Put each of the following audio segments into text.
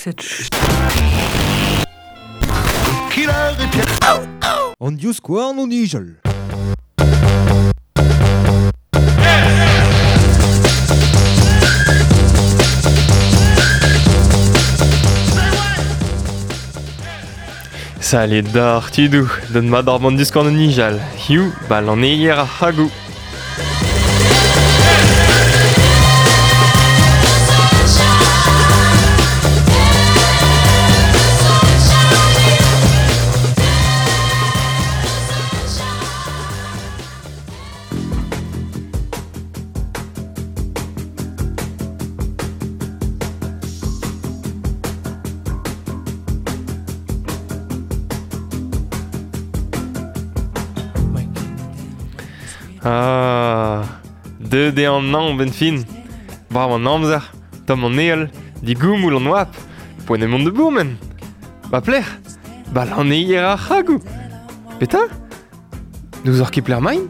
Cette An divskouarn o nijal. Salut d'ar tudoù, don mat ar band diskouarn o nijal. Hiziv, ba lanneier ar c'hagoù. Ah, deuet eo an hañv 'benn fin. Brav an amzer, tomm an heol, digoumoul an oabl, poent eo mont da bourmen. Ba pelec'h? Ba lanneier ar c'hragoù. Petra? N'ouzoc'h ket pelec'h emaint?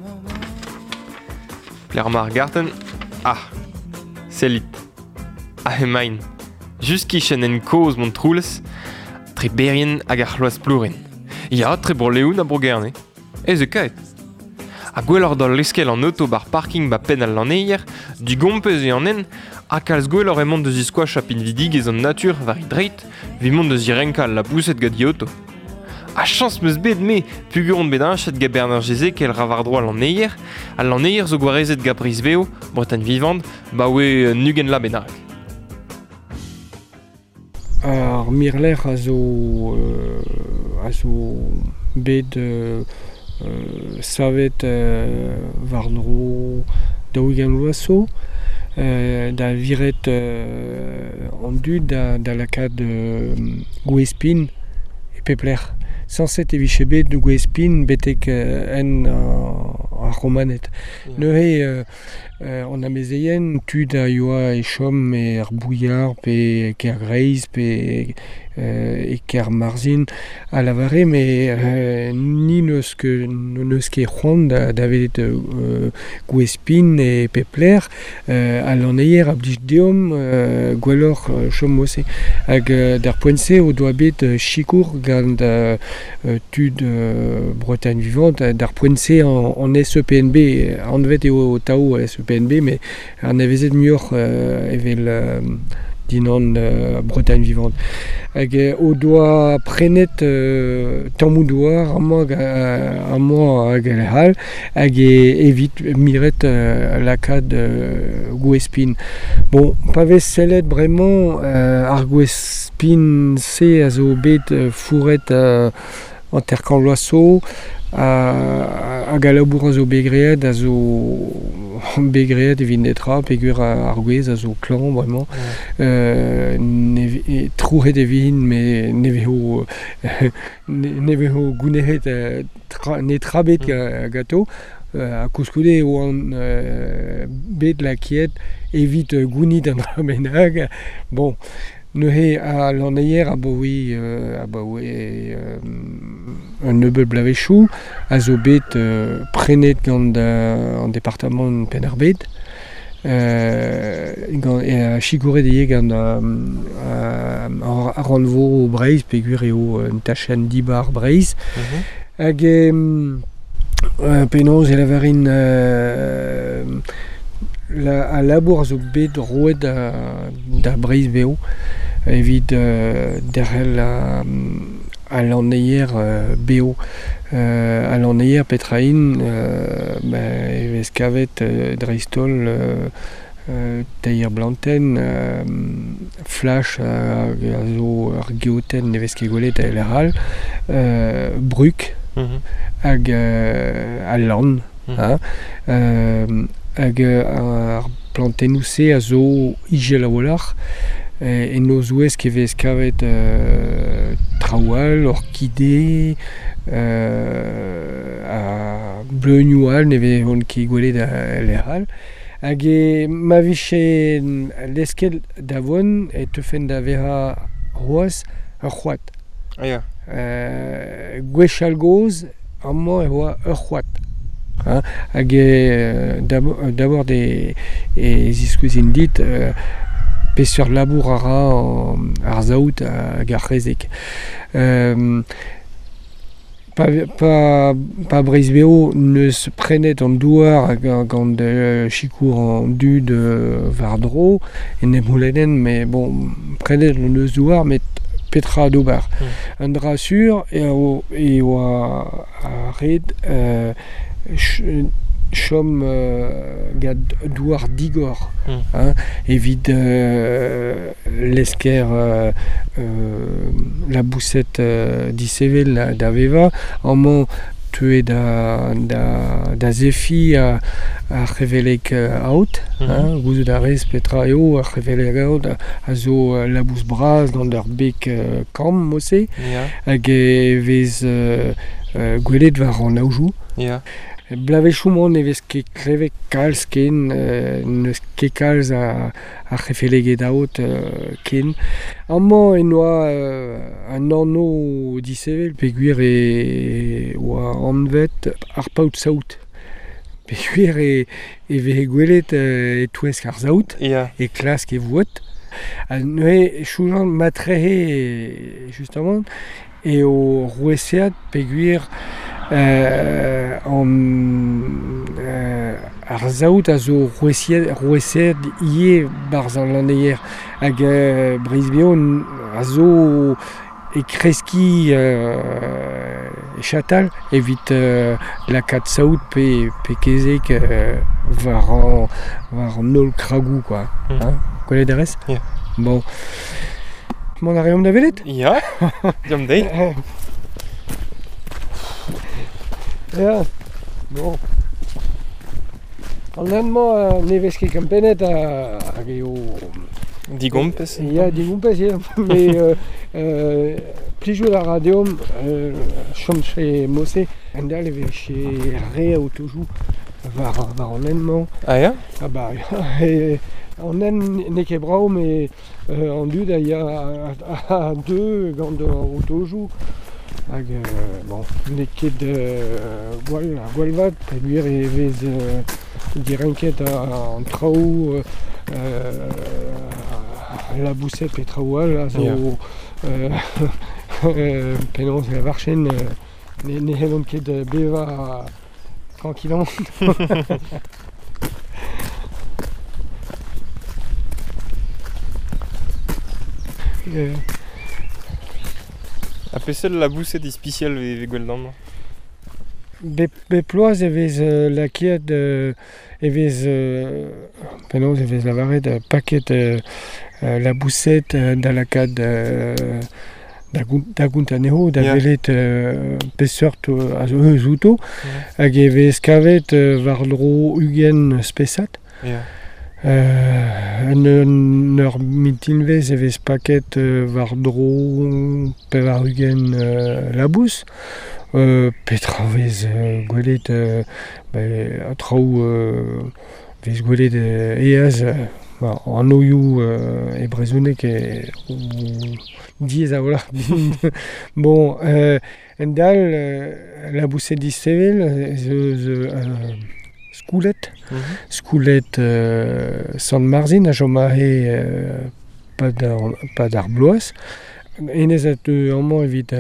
Pelec'h emañ ar gartenn? Ah, sellit. Aze emaint. Just kichen hent kozh Montroulez, tre Berrien hag ar C'hloaz-Plourin. Ya, tre Bro-Leon ha Bro-Gerne. Ez eo kaet. Ha gwelloc'h da leuskel an oto 'bar parking 'ba penn al lanneier, digompez eo an hent, ha kalz gwelloc'h eo mont da ziskoachañ pinvidigezh an natur war e dreid evit mont da zirenkañ al laboused gant e oto. Ha chañs 'm eus bet me peogwir on bet heñchet gant Bernard Jezekel ra war-dro al lanneier. Al lanneier zo gwarezet gant Breizh-Vev, Bretagne Vivante, 'baoe un ugent vloaz bennak. Ar mirlec'h a zo a zo bet savet war-dro daou-ugent vloaz zo da viret an dud da lakaat gwez-pin e pep lec'h. Sañset e vije bet gwez-pin betek en ar Romaned. Neuze An amezeien, tud a yoa e chom er Bouillard pe e Kergreiz pe e Kermarzhin a lavare met ni n'eus ket n'eus ket c'hoant da welet gwez-pin e pep lec'h. Al lanneier a blij deomp gwelloc'h chom mod-se. Hag d'ar poent-se o doa bet sikour gant tud Bretagne Vivante d'ar poent-se an SEPNB anvet eo atav SEPNB met anavezet muioc'h evel dindan Bretagne Vivante hag o doa prenet tammoù douar amañ amañ hag e lec'h all hag evit miret lakaat gwez-pin. Bon, pa vez sellet bremañ ar gwez-pin-se a zo bet fouret hanter-kant vloaz zo hag al labour a zo bet graet a zo bet graet evit netra peogwir ar gwez a zo klañv bremañ. Trouc'het e vint met ne vezo ne vezo gounezet netra bet ganto. Ha koulskoude e oan bet lakaet evit gounit an dra bennak. Bon, neuze al lanneier abaoe abaoe un nebeud bloavezhioù a zo bet prenet gant an departamant Penn-ar-Bed. Gant sikouret ivez gant ar rannvro Breizh peogwir eo un tachenn dibar Breizh. Hag penaos e lavarin al labour a zo bet roet da Breizh Vev evit derc'hel al lanneier bev. Al lanneier petra int e vez kavet dreist-holl teir blantenn, flash hag a zo ur geotenn ne vez ket gwelet e lec'h all, brug hag al lann hein. Hag ar plantennoù-se a zo ijel a-walc'h. En o zouesk e vez kavet traoù all, orkide, ha bleunioù all ne vezont ket gwelet e lec'h all. Hag ma vije lesket da vont e teufen da vezañ c'hoazh ur c'hoad. Ah ya. Gwechall-gozh amañ e oa ur c'hoad. Hein, hag d'abord e ziskouezin dit Peseurt labour a ra ar saout hag ar c'hezeg. Pa Breizh Veo n'eus prenet an douar gant sikour an dud war-dro, en em c'houlennen, mais bon, prenet hon eus douar, met petra d'ober. Un dra sur eo e oa ret chom gant douar digor hein, evit lesker laboused disevel da vevañ. Amañ teue da zefiñ ar c'heveleg aod, hein, gouzout a rez petra eo ar c'heveleg aod, a zo labous bras gant ur beg kamm mod-se, hag e vez gwelet war an aojoù. Bloavezhioù-mañ ne vez ket klevet kalz ken, n'eus ket kalz a c'hefeleged aod ken. Amañ en oa un anv disheñvel peogwir e oa anvet ar paotr-saout. Peogwir e veze gwelet e-touesk ar saout, e klask e voued. Ha neuze soñjan matrehe justement eo roueseat peogwir ar saout a zo roueseet ivez 'barzh an lanneier hag Breizh-Veo a zo e kreskiñ e chatal evit lakaat saout pe kezeg war an holl kragoù quoi. Hein? Gwelet a rez? Bon. Mont a reomp da welet? Ya, deomp dezhi. Ya, bon. An hent-mañ ne vez ket kempennet hag eo... Digompez. Ya, digompez, ya. Mais plijout a ra deomp chom chez Mosse. Endal e vez chez re aotojoù war an hent-mañ. Ah ya? Ah bah, an hent n'eo ket brav, mais an dud a ya a deu gant an otojoù. Hag bon, n'eo ket gwall vat peogwir e vez direnket an traoù laboused pe traoù all a zo penaos e lavarchen ne c'hellont ket bevañ tranquillement. Ha peseurt laboused ispisial e vez gwell amañ? Bep bloaz e vez lakaet e vez penaos e vez lavaret paket laboused da lakaat da gont anezho, da welet peseurt a zo eus outo. Hag e vez kavet war-dro 20 spesad. En ur mintinvezh e vez paket war-dro 80 labous. Petra vez gwelet traoù vez gwelet aes an oioù e brezhoneg diaes a-walc'h. Bon, en-dal laboused disheñvel ez eus skouled. Skouled Sant-Marzin a chom aze pad ar bloaz. Hennezh a teu amañ evit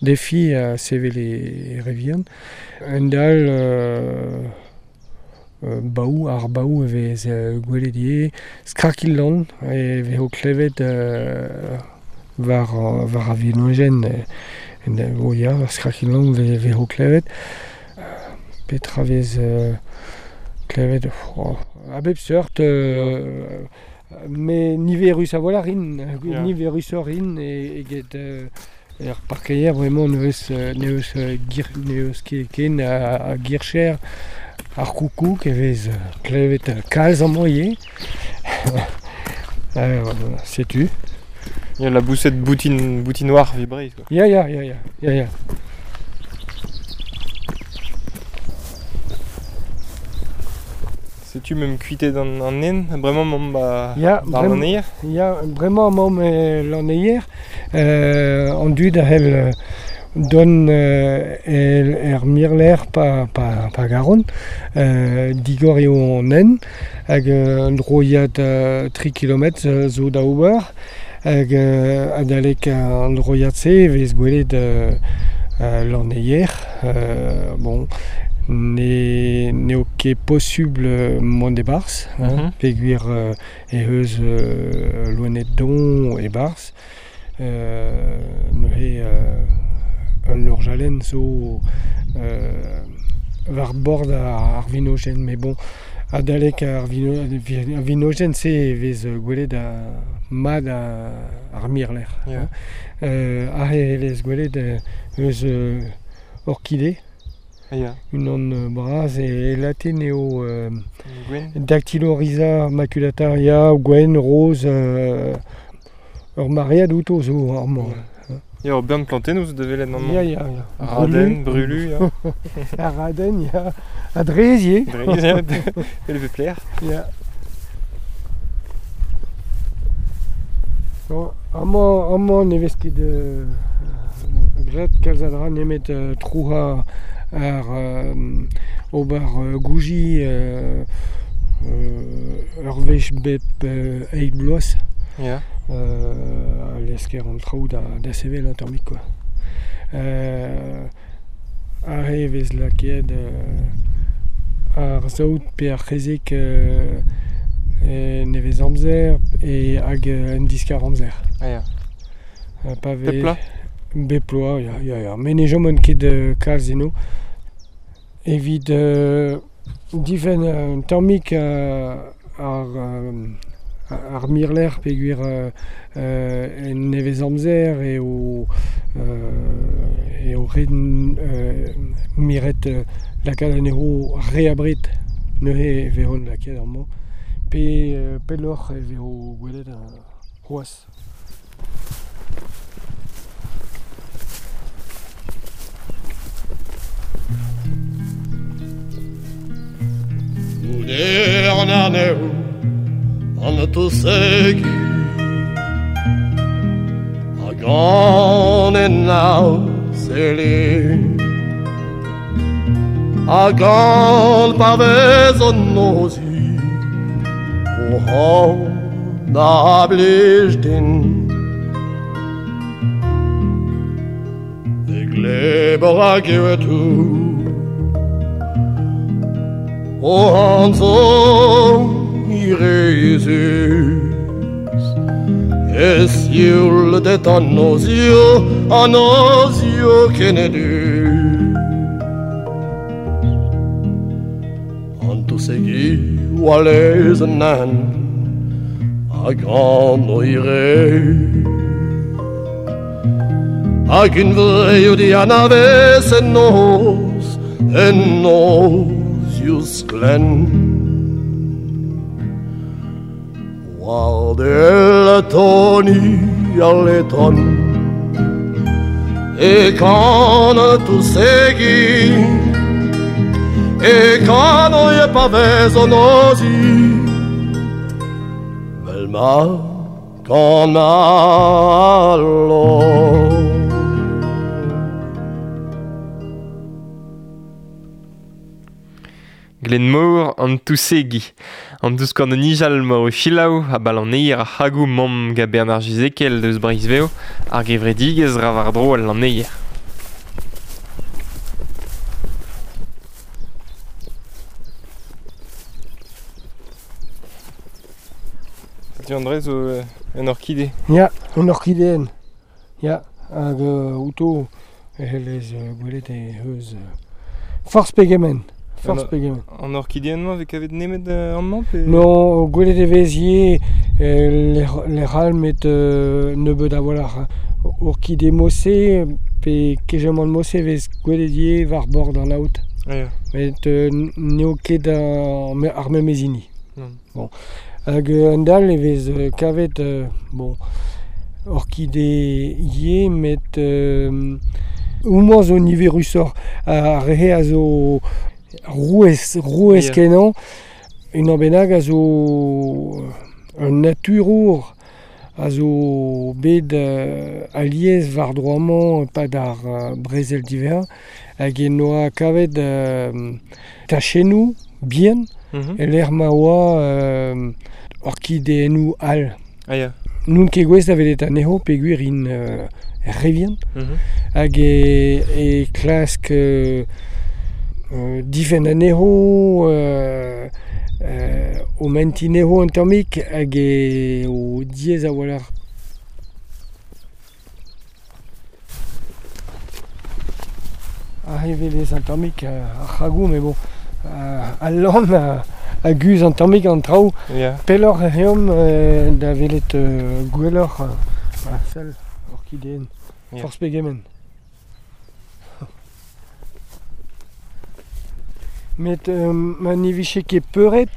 defiñ ha sevel e re vihan. En-dal baou, ar baou e vez gwelet ivez. Skrakil-lann e vezo klevet war ar venojenn. O ya, skrakil-lann e vezo klevet. Petra vez klevet a bep seurt, mais niverus a-walc'h int, niverusoc'h int eget er parkeier bremañ n'eus ket ken a gircher. Ar koukoug e vez klevet kalz amañ ivez. Setu. Ya, laboused boutin-noir evit Breizh quoi. Ya. Setu meump kuitet an hent, bremañ 'maomp 'ba ar lanneier. Ya, bremañ 'maomp el lanneier. An dud a c'hell Don er mirler pa garon, digor eo an en, hag un droiad 3 km zo da ober, hag adalek an droiad-se vez gwelet lanneier, bon, n'eo ket posubl mont e-barzh, hein, peogwir eh eus loened don e-barzh, neuze un orjalenn zo war bord ar vinojenn, met bon, adalek ar vinojenn-se e vez gwelet mat ar mirlec'h. Yeah. Aze e vez gwelet eus orkide. Yeah. Unan bras e latin eo Dactylorhiza maculata, ya, gwenn, roz, ur maread outo zo amañ. Ya, ur bern plantennoù zo da welet amañ. Ya, ya, ya. Raden, brulu, ya. Ar raden, ya. Ha drez ivez. Drez, ya. El vez plaer. Ya. Bon, amañ ne vez ket graet kalz a dra nemet trouc'hañ ar ober gouji ur wech bep eil bloaz. Ya. Lesker an traoù da sevel un tammig quoi. Aze e vez lakaet ar saout pe ar c'hezeg nevez amzer hag un diskar amzer. Ah ya. Pa vez Bep bloaz? Bep bloaz, ya, ya, ya. Met ne chomont ket kalz eno. Evit difenn un tammig ar mirlec'h peogwir en nevez amzer eo ret miret lakaat anezho re abred neuze e vezont lakaet amañ pe pelloc'h e vezo gwelet c'hoazh. Goude an arnev an tousegi hag an en sele hag an pa vez an nozi o han a blij din e glebor hag ewetou o han zo irezus Es sioul det an nozio kenedu An tousegi oa lez an an hag an oire Hag un vreio di anavez en noz youz klen War del toni al leton E kan tousegi E kan e pa vez an ozi Vel ma kan alo Glenmor an tousegi. An douskant an nijal mor o chilaou a balaneier ar c'hagou mamm ga Bernard Gizekel deus Breizh-Veo ar gevredigezh ra war-dro al lanneier. Setu André zo un orkide. Ya, un orkideen. Ya, hag outo e c'hellez gwelet e eus forzh pegement. Forzh pegement. An orkideen-mañ vez kavet nemet amañ pe... Non, gwelet e vez ivez lec'h all met nebeut a-walc'h. Orkide Mosse pe kejamant Mosse vez gwelet ivez war bord an aod. Yeah. Met n'eo ket ar memes hini. Non. Bon. Hag un dall e vez kavet bon, orkide ivez met houmañ zo niverusoc'h ar re a zo rouez Yeah. kenañ, unan bennak a zo un naturour a zo bet alies war-dro amañ e-pad ar brezel diwezhañ hag en doa kavet tachennoù bihan e-lec'h ma oa orkideennoù all. Ah ya. N'on ket gouest da welet anezho peogwir int re vihan hag e klask difenn anezho, o mentiñ anezho un tammig hag eo diaes a-walc'h. Aze e welez un tammig ar c'hragoù met bon, al lann a guzh un tammig an traoù. Pelloc'h ec'h eomp da welet gwelloc'h sell orkideenn, forzh pegement. Met ma ne vije ket peuret,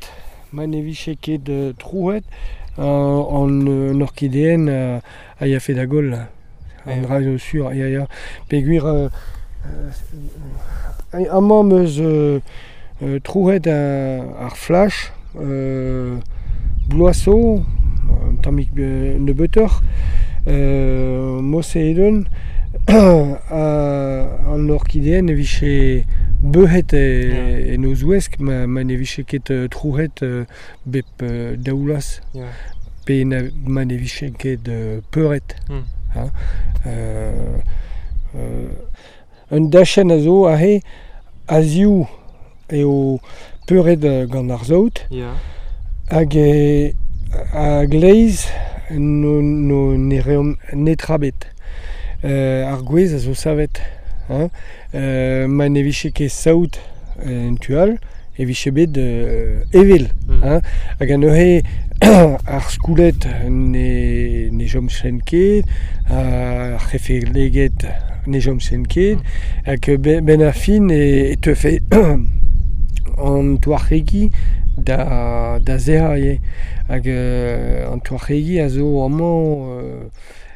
ma ne vije ket trouet, an orkideenn a yafe da goll. An dra zo sur, ya ya. Peogwir amañ 'm eus trouet ar flach bloaz zo, un tammig nebeutoc'h, Moseidon an orkideenn e vije beuc'het en o zouesk ma ne vije ket trouc'het bep daou vloaz pe ma ne vije ket peuret. Un dachenn a zo aze a-ziv eo peuret gant ar saout hag a-gleiz ne reomp netra ebet. Ar gwez a zo savet hein. Ma ne vije ket saout en tu all e vije bet evel hein. Hag neuze ar skouled ne chomfent ket, ar c'hefeleged ne chomfent ket hag benn ar fin e teufe an touarc'hegi da sec'hañ ivez. Hag an touarc'hegi a zo amañ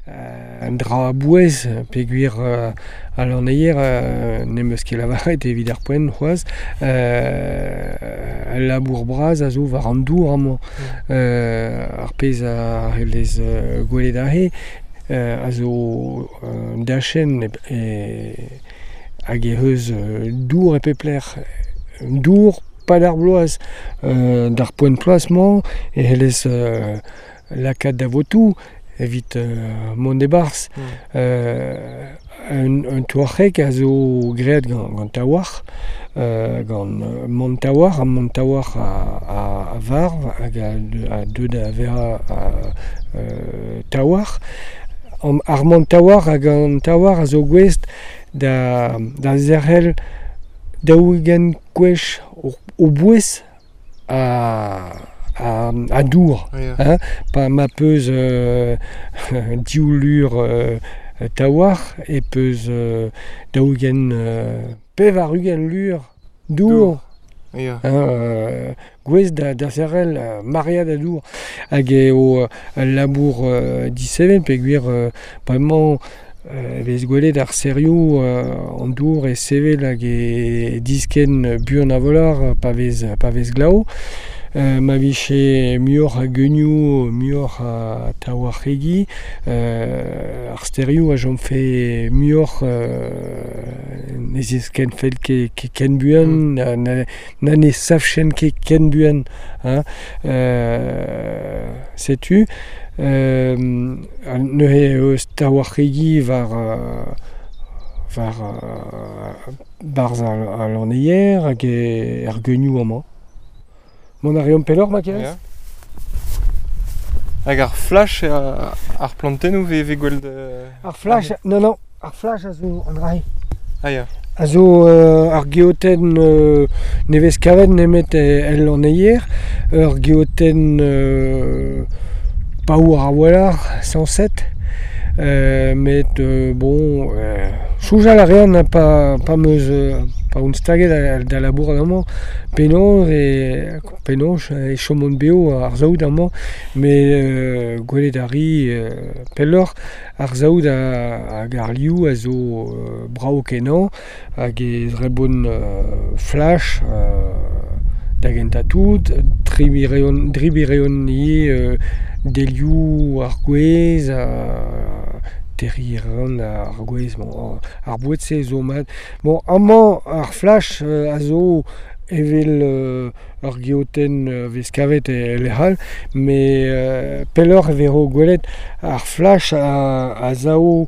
un dra a-bouez peogwir al lanneier n'em eus ket lavaret evit ar poent c'hoazh al labour bras a zo war an dour amañ. Ar pezh a c'hellez gwelet aze a zo un dachenn hag ec'h eus dour e pep lec'h. Dour pad ar bloaz. D'ar poent ploaz-mañ e c'hellez lakaat da votoù evit mont e-barzh. Un touarc'heg a zo graet gant taouarc'h, gant mont-taouarc'h, ha mont-taouarc'h a varv hag a deu da vezañ taouarc'h. Ar mont-taouarc'h hag an taouarc'h a zo gouest da zerc'hel 40 gwech o bouez a dour. Hein, pa ma peus div lur taouarc'h e peus 40 80 lur dour. Hein, gouest da zerc'hel maread a dour. Hag eo ul labour diseven peogwir bremañ e vez gwelet ar serioù an dour e sevel hag e diskenn buan a-walc'h pa vez glav. Ma vije muioc'h a geunioù, muioc'h a taouarc'hegi, ar stêrioù a chomfe muioc'h ne ziskennfent ket ken buan, na ne savchent ket ken buan. Hein. Setu neuze eus taouarc'hegi war barzh al lanneier hag er geunioù amañ. Mont a reomp pelloc'h ma kerez ? Hag ar flach, ar plantennoù vez gwell Ar flach, non, non, ar flach a zo an dra-se. Ah ya. A zo ar geotenn ne vez kavet nemet el lanneier, ur geotenn paour a-walc'h, sañset, met bon, soñjal a rean pa 'm eus pa on staget da labourat amañ penaos e chomont bev ar saout amañ, met gwelet a ri pelloc'h ar saout hag ar liv a zo brav-kenañ hag e zrebont flach da gentañ tout, Dribi reont ivez delioù ar gwez, terriñ a ran ar gwez, bon, ar boued-se zo mat. Bon, amañ ar flach a zo evel ur geotenn vez kavet e lec'h all, met pelloc'h e vezo gwelet ar flach a sav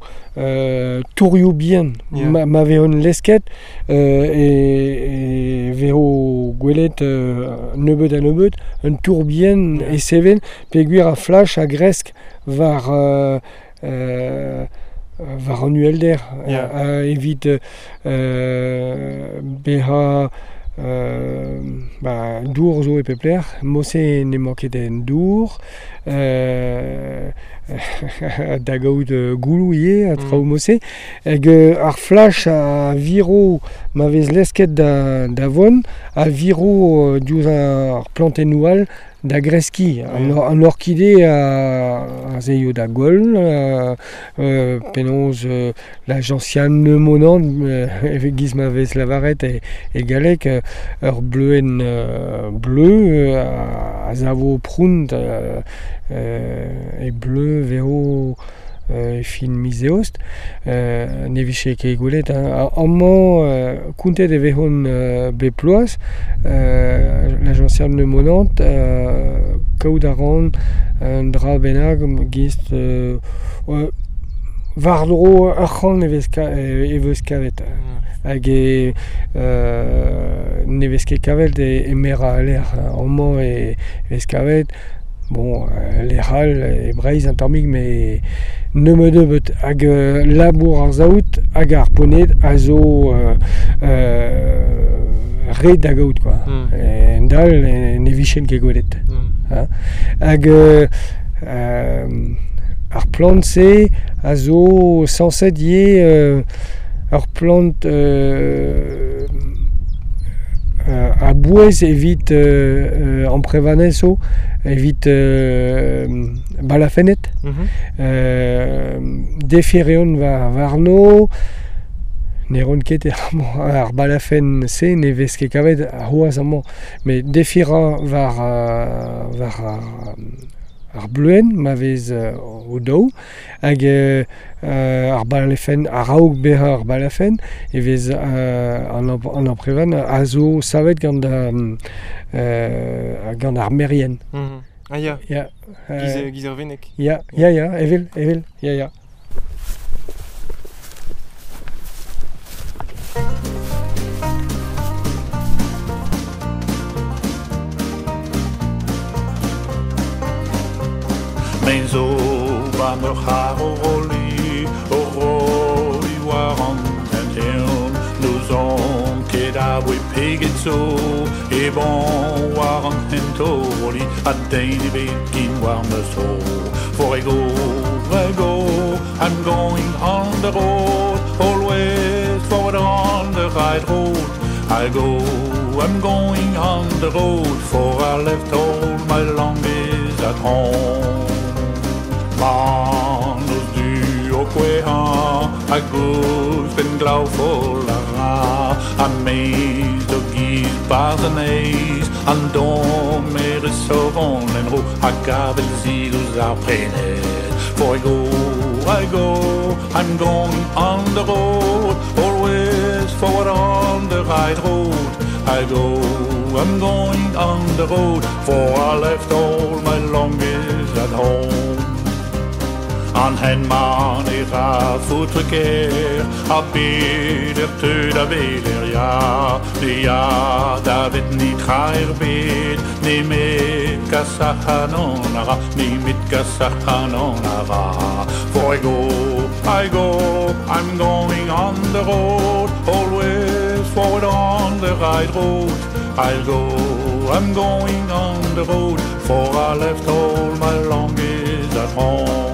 tourioù bihan. Yeah. Ma vezont lesket e vezo gwelet nebeut ha nebeut un tour bihan Yeah. e sevel peogwir ar flach a gresk war war an uhelder Yeah. evit bezañ ba, dour zo e pep lec'h, Mose n'emañ ket en dour, da gaout gouloù ivez, a traoù Mose, hag ar flach a viro ma vez lesket da vont, a viro diouzh ar plantennoù all da greskiñ. An orkide a zeio da goll, penaos la gentiane monant, evit giz ma vez lavaret e galleg, ur bleuenn bleu a savo prount e bleu vezo e fin miz eost, ne vije ket gwelet. Hein. Amañ kontet e vezont bep ploaz, la gentiane monant, kaout a ran un dra bennak gist war-dro ur c'hant e vez kavet. Hag e ne vez ket kavet e merañ lec'h. Amañ e vez kavet, bon, lec'h all e Breizh un tammig, met nebeut hag labour ar saout hag ar poned a zo ret da gaout quoi. En dal ne vijen ket gwelet. Hag ar plant-se a zo sañset ivez ur plant a-bouez evit amprevanez zo, evit balafenned. Defi reont warno, ne ran ket ar balafenn-se ne vez ket kavet c'hoazh amañ, met defi ra war ar bleuenn ma vez o daou, hag ar balafenn, a-raok bezañ ar balafenn, e vez an amprevan a zo savet gant ar merien. Ah ya. Ya. Giz ar veneg. Ya, ya, ya, evel, ya, ya. Men zo ba meur c'har o roli, o roli war an tenteon, nous on ket a voe peget zo, e bon war an hento roli, a den e bet gin war ma zo. For I go, I'm going on the road, always forward on the right road. I go, I'm going on the road, for I left all my longings at home. Man eus du o kouezhañ, a gouz ben glav fol a ra, a meiz do giz barz an eiz, an dom e resovon en ro, a gavel zil ouz ar prened. For I go, I'm going on the road, always forward on the right road. I go, I'm going on the road, for I left all my longings at home. An hen man e ra foutre ker, a bet er teu da veler ya, ne ya da vet ni tra er bet, ne met kas ac'hanon a ra, ne met kas ac'hanon a ra. For I go, I'm going on the road, always forward on the right road. I'll go, I'm going on the road, for I left all my longings at home.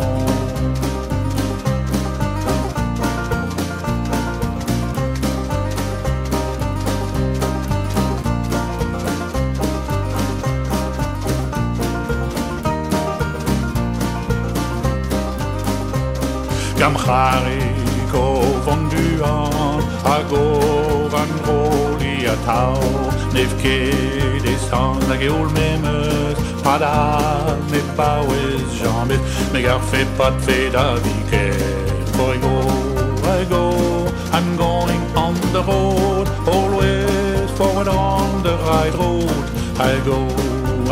Gam c'harik o vont buan, hag o van roli a tau Nev ket e san hag e ol memeus Padal me paouez jamez Me garfe pat fe da viken For I go, I go, I'm going on the road Always forward on the right road I go,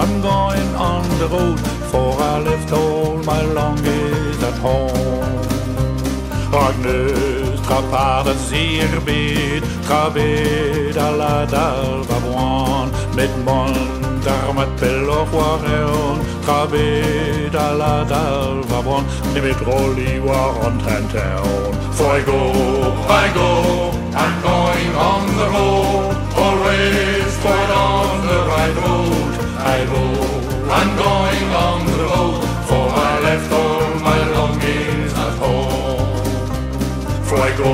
I'm going on the road For I left all my longings at home Rag neus trapar da zir bet Trabet a la dal va boan Met mon dar mat pelloc'h war eon Trabet a la dal va boan Nemet rolli war an trenteon For I go, I'm going on the road Always forward on the right road I go, I'm going on the road For I left all my longings at home For I go,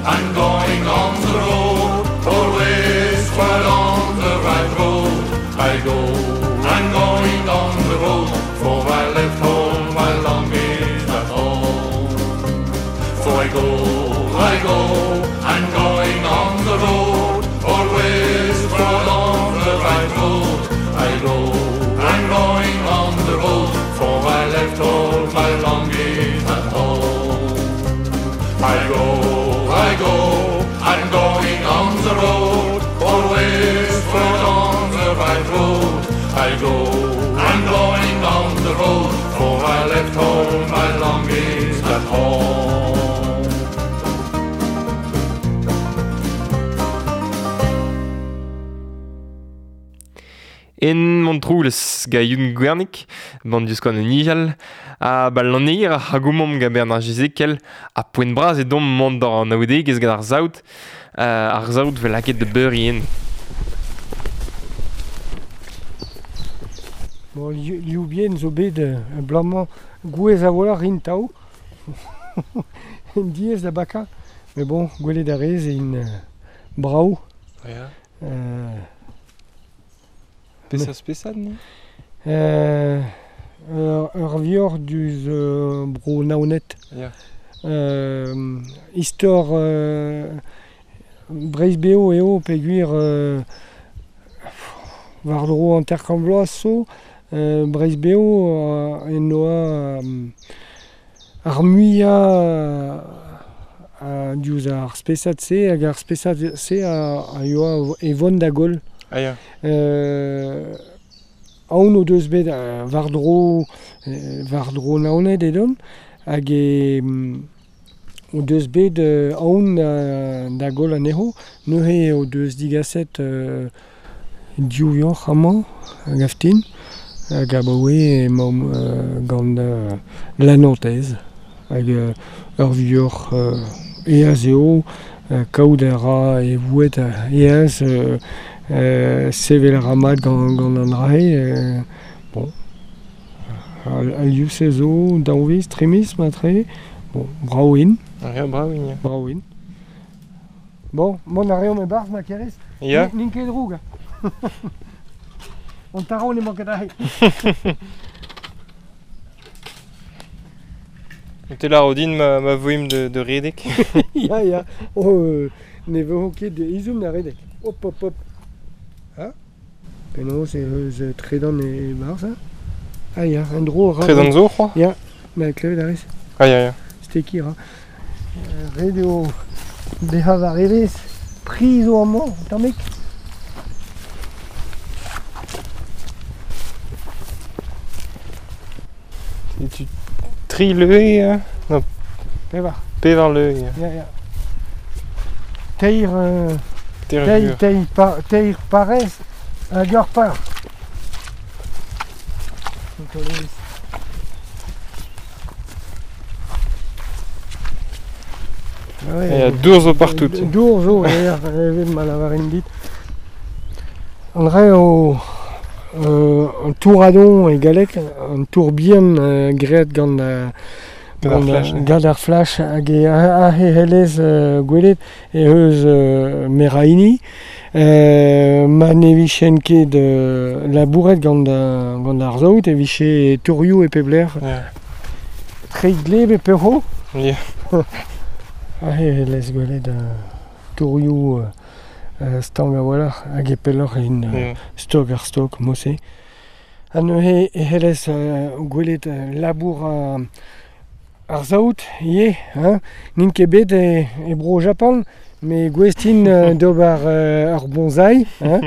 I'm going on the road Always forward on the right road I go, I'm going on the road For I left all my longings at home For I go, I'm going on the road Always forward on the right road I go, I'm going on the road For I left all my longings at home I go, I'm going on the road Always forward on the right road I go, I'm going on the road For I left all my longings at home En Montroulez ga Youn Gwernig, band diouzh an nijal, a ba lanneir a c'hagoumomp ga Bernard Jezekel, a poent bras e dom mont d'ar an aoudegez gant ar zaout, ar zaout vel laket de beurien. Bon, liou bien zo bet blamañ gouez a vola rin tao, en diez da baka, mais bon, gwelet a rez e in brao. Ja. Peseurt spesad, non? Ur vior duz bro Naoned. Yeah. Istor Breizh beo eo peogwir war-dro hanter-kant vloaz zo Breizh beo en noa ar muiañ diouzh ar spesad-se hag ar spesad-se a yoa e vont da goll. Ah ya. Aon o deus bet war-dro Naoned edon hag e o deus bet aon da goll anezho neuze o deus digaset div vioc'h amañ hag aftin hag abaoe emaomp gant la Nantaise hag ur vioc'h eaz eo kaout a ra e vouet eaz sevel a ra mat gant an drae bon al liv-se zo daou viz, tri miz matre bon, brao int. Ya, brao int, ya. Brao int. Bon, mont a reomp e-barzh ma kerez. Ya. N'int ket droug. An taro n'emañ ket aze. Te la rodin ma voim de redek. Ya, ya. Oh, ne vo ket izum da redek. Hop, hop, hop. Ha? Penaos e eus tredan e barzh, hein? Ah ya, un dro ra. Tredan zo, c'hoa? Ya, ma klevet a rez. Ah ya, ya. Steki ra. Ret eo bezañ war evezh, pri zo amañ, tammig. Tu tri leue, non. Pevar. Pevar leue. Ya, ya. Teir teir parez hag ur par. Ah ouais, dour zo partout. Dour zo, evel ma lavarin dit. An dra o un touradon e galleg, un tour bihan graet gant gant ar flash hag e ahe helez gwelet e eus meraini. Ma ne vichen ket labouret gant ar zaout e viche tourioù e pep lec'h. Yeah. Tre gleb e peho. Yeah. Ahe helez gwelet tourioù Stank a-walc'h hag e pelloc'h int stok ar stok mod-se. Ha neuze e c'hellez gwelet labour ar saout ivez hein. N'int ket bet e Bro-Japan met gouest int d'ober ur bonsaï hein.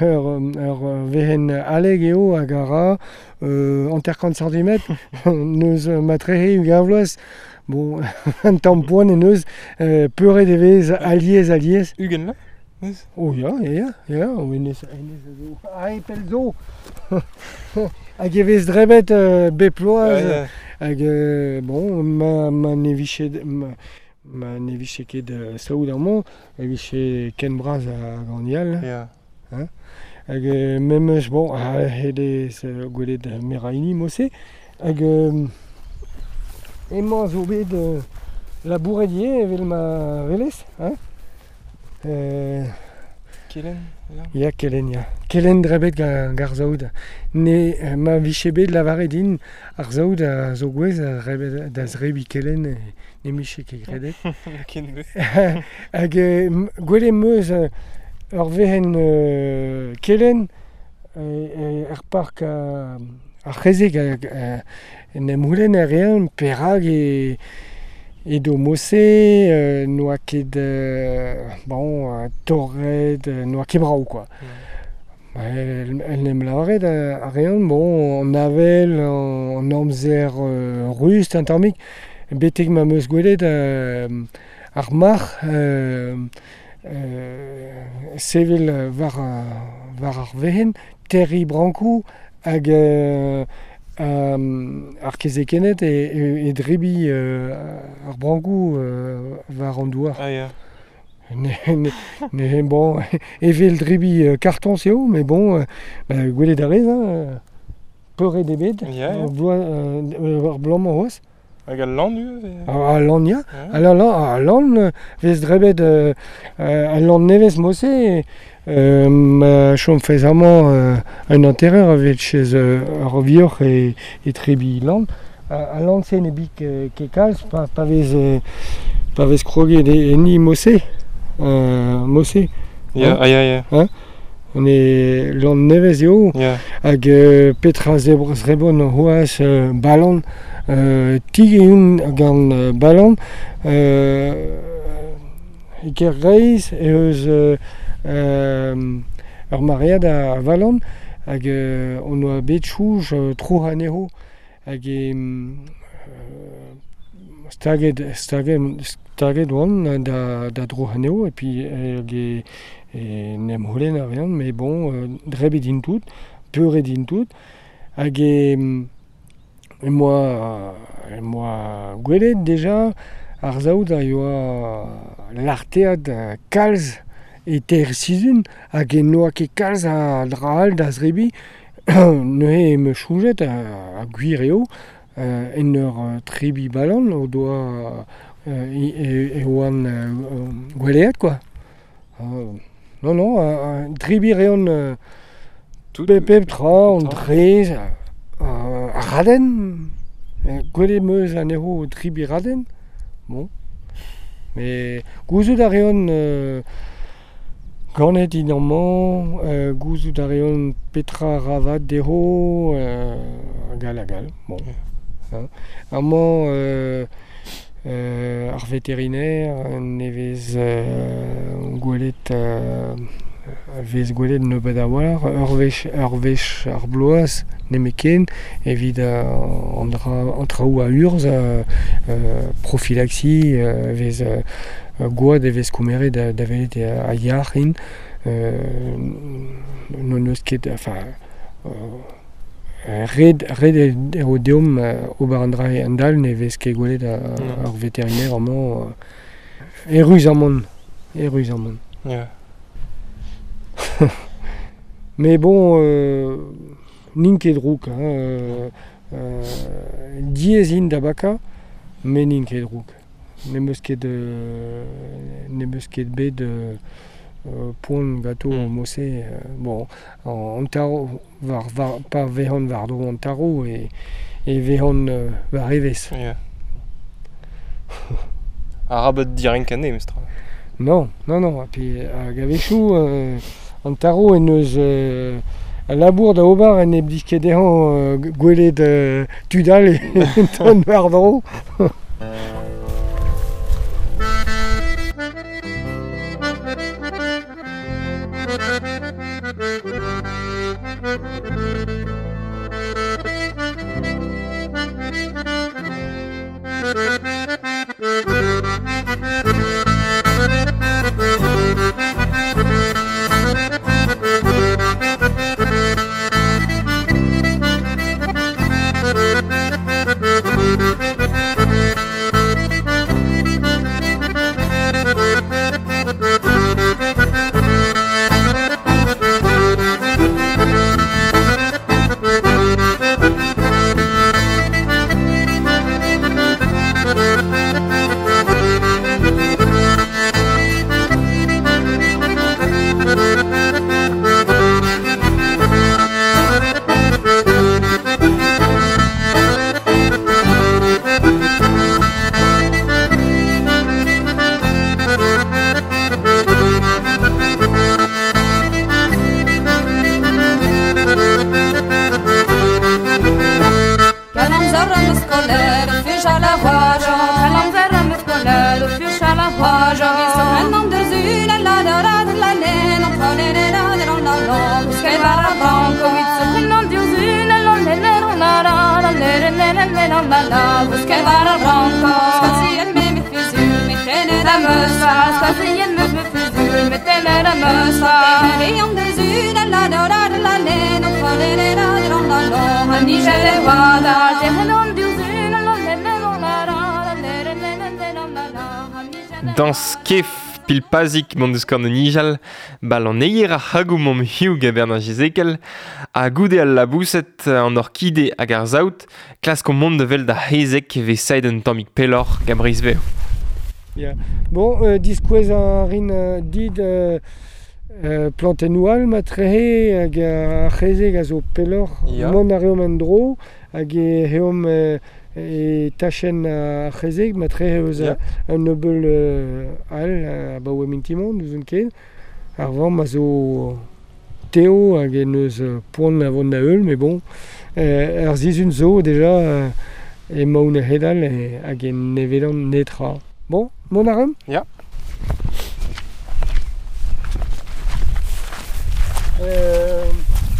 Ur wezenn haleg eo hag a ra 50 santimetr n'eus matrehe 20 vloaz. Bon, un tamm poan en deus, peuret e vez alies-alies. 20 vloaz neuze? Oh ya, ya, ya, hennezh hennezh a zo aet pell zo. Hag e vez drebet bep bloaz. Hag bon, ma ne vije ma ne vije ket saout amañ, e vije ken bras hag an all. Ya. Hein? Hag memes, bon, a-hed gwelet meraini mod-se. Hag emañ zo bet labouret ivez evel ma welez, hein. Kelenn, ya. Ya, kelenn, ya. Kelenn drebet gant ar saout. Ne, ma vije bet lavaret din ar saout a zo gouez da zebriñ kelenn, ne 'mije ket kredet. Ken Hag gwelet 'm eus ur wezenn kelenn er park ar c'hezeg hag en em c'houlenn a rean perak edo mod-se, n'oa ket bon torret, n'oa ket brav kwa. En em lavaret a rean, bon, an avel, an amzer rust un tammig, betek ma 'm eus gwelet ar marc'h sevel war ar wezenn, terriñ brankoù hag ar kezekenned e drebiñ ar brankoù war an douar. Ah ya. Ne, bon, evel drebiñ kartoñs eo, met bon, gwelet a rez, hein, peuret eo bet ar bloaz-mañ c'hoazh. Hag al lann ivez? Al lann ya, al lann vez drebet al lann nevez mod-se, ma chomfes amañ un hanterer a vez ur vioc'h e trebiñ lann. Al lann-se ne bik ket kalz pa vez kroget enni mod-se. Mod-se. Ya, ya, ya. Ne lann nevez eo. Hag petra zebron c'hoazh balan. Tig eo gant balan. E Kergreiz eh eus ur maread a valan hag on oa bet chouj tro anezho. Hag staget oan da dro anezho et puis hag en em c'houlenn a reont, mais bon, drebet int tout, peuret int tout. Hag em boa gwelet deja ar saout a yoa larteat kalz e teir sizhun hag e n'oa ket kalz a dra all da zebriñ. Neuze em eus soñjet, ha gwir eo, en ur trebiñ balan o doa e oan gweleet kwa. Non, non, drebiñ reont pep tra, an drez, ar radenn. Gwelet 'm eus anezho o trebiñ radenn. Bon. Mais gouzout a reont ganet int amañ, gouzout a reont petra ra vat dezho, hag all hag all. Bon. Amañ ar veterinaire ne vez gwelet vez gwelet nebeut a-walc'h, ur wech ar bloaz nemetken evit an traoù a urzh, profilaxie, vez gwad e vez komeret da welet a yac'h int. N'hon eus ket, enfin, ret eo deomp ober an dra a-hend-all, ne vez ket gwelet ar veterinaire amañ. Erruz-amant, erruz-amant. Yeah. Mais bon, n'int ket drouk. Hein, diaes int da bakañ, met n'int ket drouk. N'em eus ket bet poan ganto mod-se. Bon, an tarv, pa vezont war-dro an tarv e vezont war evezh. Yeah. Arabat direnkañ anezhe, mestra. Non, non, non. Ha puis hag a-wechoù an taro en eus al labour da ober en e blij ket dezhañ gwelet tud all e ton war-dro. Dans kef pilpazik mont deus korn nijal, bal an eier ar c'hagou mom hiu gabern ar jezekel, ha goude al labouset an orkide hag ar zaout, klask o mont de vel da hezek ve said un tammig pelor gabriz veo. Yeah. Bon, diskouez a rin dit plantennoù all ma trehe hag ar c'hezeg a zo pelor, yeah. Mont a reomp en dro hag e reomp e tachenn ar c'hezeg ma trehe eus yeah. Un neubeul all abaoe mintimon, n'ouzon ket. Ar vamm a zo teo hag en eus poan a vont da heul, mais bon, ar zizun zo deja emaon a hedal hag en nevelan netra. Bon, mont a reomp? Ya.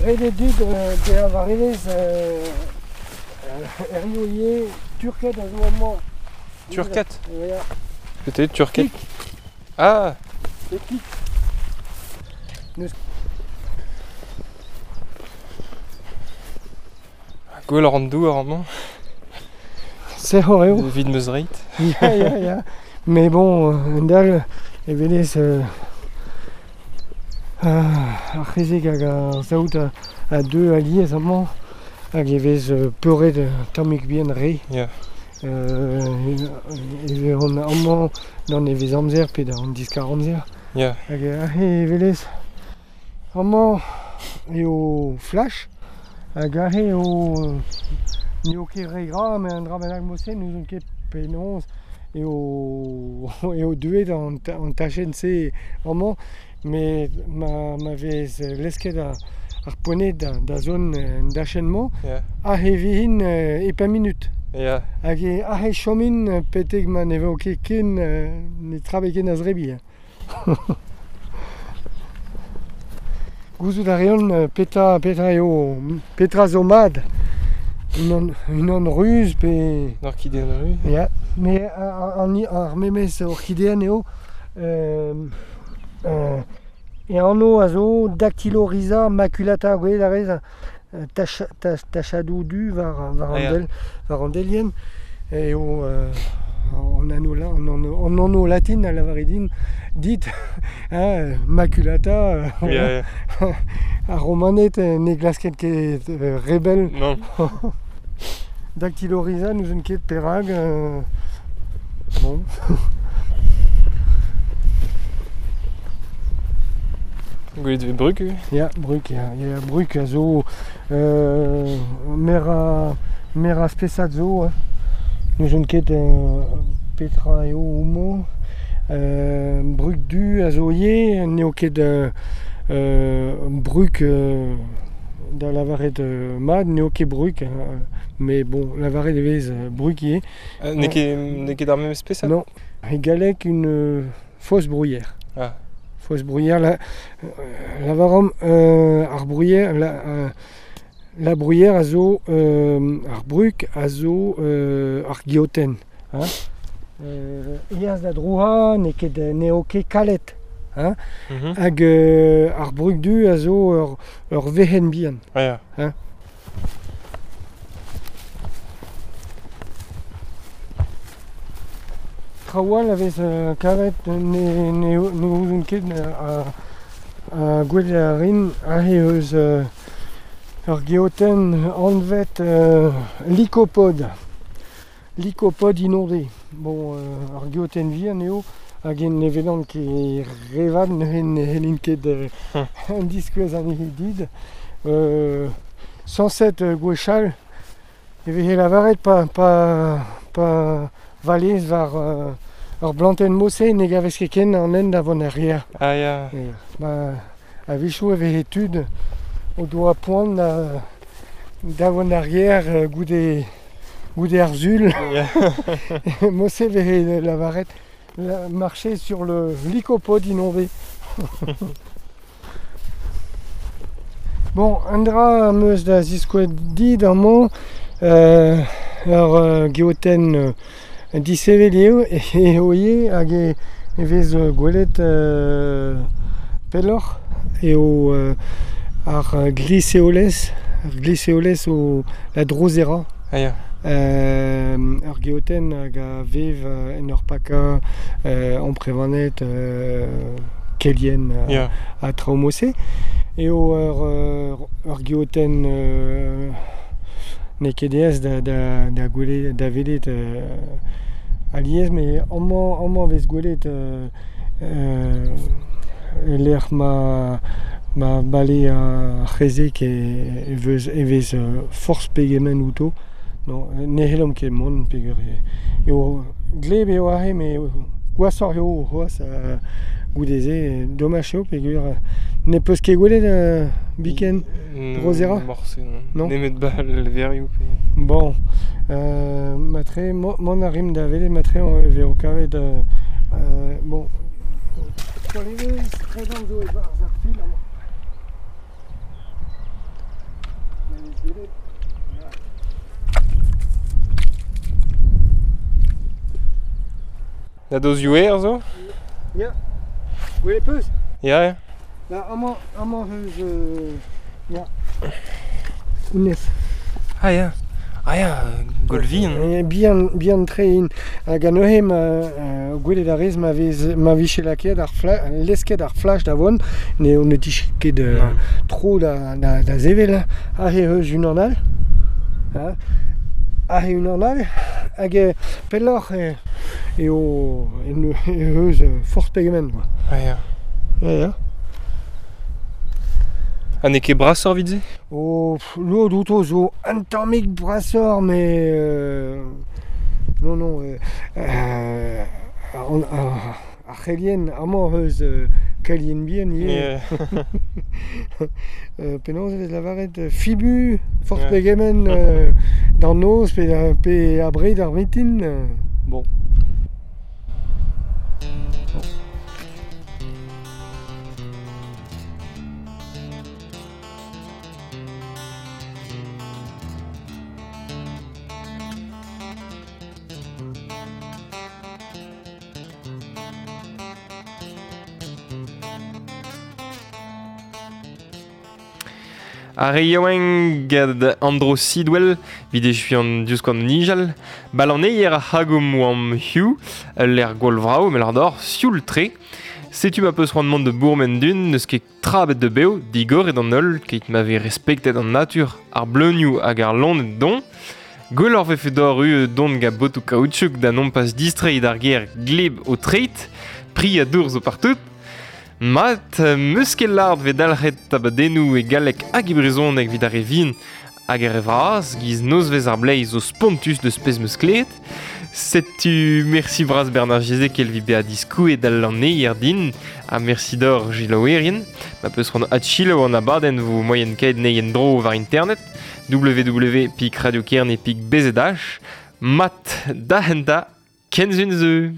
Ret eo dit bezañ war-evezh erioù ivez Turket a zo amañ. Turket? Ya. Peut-être Turket. Ah. E kik. Neus... Gwell an douar amañ. Sec'hor eo. Evit meus reit. Ya, ya, ya. Mais bon, un dal, e velez ar c'hezeg hag ar saout a deux aliez amañ hag e vez peuret tammig bihan re. Yeah. E vez an amañ d'an e vez amzer pe d'an diskar amzer. Yeah. Hag aze e velez amañ eo flash hag aze eo n'eo ket re gra met an dra bennak mod-se n'ouzon ket penaos eo deuet an tachenn-se amañ met ma vez lesket ar poened da zon an dachenn-mañ yeah. Aze vihin e pemp minut. Yeah. Hag aze chomin petek ma ne vo ket ken ne trabe ken a zrebi. Gouzout a reont petra eo petra zo mat. Unan ruz pe... An orkideen ruz. Ya, mais ar memes orkideen eo e anv a zo Dactylorhiza maculata gwelet a rez tachadoù du war an delien eo an anv latin a lavare din dit hein, maculata yeah, yeah. Ar romaned ne glasket ket rebel. Non. Dactylorhiza n'ouzon ket perak bon. Gwelet vez bruk? Ya, bruk, ya. Ya, bruk a zo mer a spesad zo. N'ouzon ket petra eo homañ. Brug du a zo ivez, n'eo ket brug da lavaret mat, n'eo ket brug, mais bon, lavaret e vez brug ivez. N'eo ket ar memes spesad? Non, e galleg une fausse bruyère. Ah. Fausse bruyère, lavaromp ar bruyère, la bruyère a zo, ar brug a zo ar geotenn. Hein? Eaz da drouha, n'eo ket kalet. Hein? Hag ar brug du a zo ur vehenn bihan. Ah, ya. Hein? Traoù all a vez kavet ne ouzon ket a gwelet a rin aze eus ur geotenn anvet lycopode. Lycopode inondé. Bon, ar geotenn vihan eo, hag en evelan ket revat neuze ne c'hellin ket an diskouez anezhi dit. Sañset gwechall e veze lavaret pa valez war ur blantenn mose ne gavez ket ken an hent da vont er gêr. Ah ya. Ba, a-wechoù e veze tud o doa poan da vont er gêr goude ar sul. Yeah. Mose veze lavaret marcher sur le lycopode inondé. Bon, un dra am eus da ziskouez dit amañ ur geotenn disevel eo eo ivez hag e vez gwelet pelloc'h eo ar gliseolez, ar gliseolez o la drosera. Ah ya. Ur geotenn hag a vev en ur pakañ amprevanet kelien ha traoù mose. Eo ur geotenn n'eo ket aes da gwelet, da welet alies, met amañ vez gwelet e lec'h ma bale ar c'hezeg e vez forzh pegement outo. Non, ne c'hellomp ket mont peogwir eo gleb eo aze, met gwashoc'h eo c'hoazh goude-se, domaj eo peogwir ne peus ket gwelet biken drosera? Morse, non. Nemet ba levrioù pe... Bon, matre, mont a rimp da welet matre e vezo kavet bon. Kolevez, tredan zo e-barzh ar fil amañ. Ma vez gwelet. Na dozioù aer zo? Ya. Gwelet peus? Ya, ya. Ba, amañ eus... ya. Honnezh. Ah ya. Ah ya, gwall vihan. Bihan tre int. Hag anezhe ma gwelet a rez ma vije lakaet ar lesket ar flach da vont, ne dije ket tro da sevel. Aze eus unan all. Aze unan all. Hag pelloc'h eo eus forzh pegement. Ah ya. Ya, ya. Ha n'eo ket brasoc'h evit se? Oh, lod outo zo un tammig brasoc'h, mais non, ar c'helien, amañ eus kelien bihan ivez. Penaos e vez lavaret fibu, forzh pegement d'an noz pe abred ar mintin. Bon. Ar re yaouank gant Andro Sidwell, evit echuiñ an diouzhkoan nijal, balaneier ar c'hagoum oamp hiziv, ul lec'h gwall vrav, met d'or sioul-tre. Setu ma peus c'hoant mont da bourmen dun, n'eus ket trabet da bev, digoret an holl, keit ma vez respektet an natur, ar bleunioù hag ar loened don. Gwelloc'h vefe d'or u dont gant botoù kaoutchouk da nompas distreiñ d'ar gêr gleb o treid, pri ha dour zo partout. Mat, meus ket lart vez dalc'het abadennoù e galleg hag e brezhoneg evit ar re vihan hag ar re vras, giz nozvezh ar bleiz zo spontus deus pezh meus klevet. Setu merci bras Bernard Jezek elvi bea diskouet al laneier din, ha merci d'or jilaouerien. Ma peus c'hoant atchilo an abadenn vo moyen kaet neien dro war internet, www.radiokerne.bzh, mat da henta, kenzun zeu.